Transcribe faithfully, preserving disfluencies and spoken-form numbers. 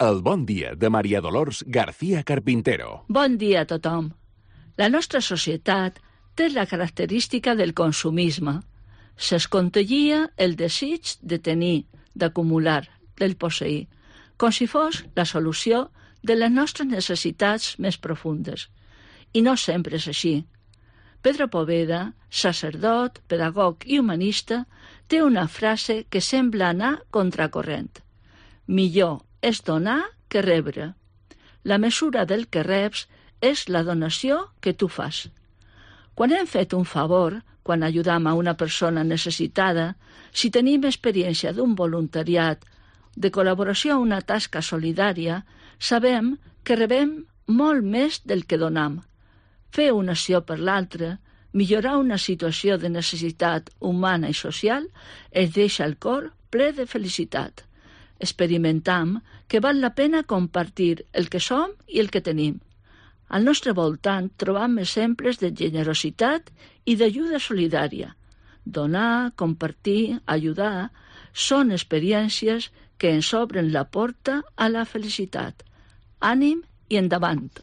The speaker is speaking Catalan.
El bon dia de Maria Dolors García Carpintero. Bon dia a tothom. La nostra societat té la característica del consumisme. S'escontellia el desig de tenir, d'acumular, del posseir, com si fos la solució de les nostres necessitats més profundes. I no sempre és així. Pedro Poveda, sacerdot, pedagog i humanista, té una frase que sembla anar contracorrent. Millor és donar que rebre. La mesura del que reps és la donació que tu fas. Quan hem fet un favor, quan ajudam a una persona necessitada, si tenim experiència d'un voluntariat, de col·laboració a una tasca solidària, sabem que rebem molt més del que donam. Fer una acció per l'altre, millorar una situació de necessitat humana i social, es deixa el cor ple de felicitat. Experimentam que val la pena compartir el que som i el que tenim. Al nostre voltant trobam exemples de generositat i d'ajuda solidària. Donar, compartir, ajudar, són experiències que ens obren la porta a la felicitat. Ànim i endavant!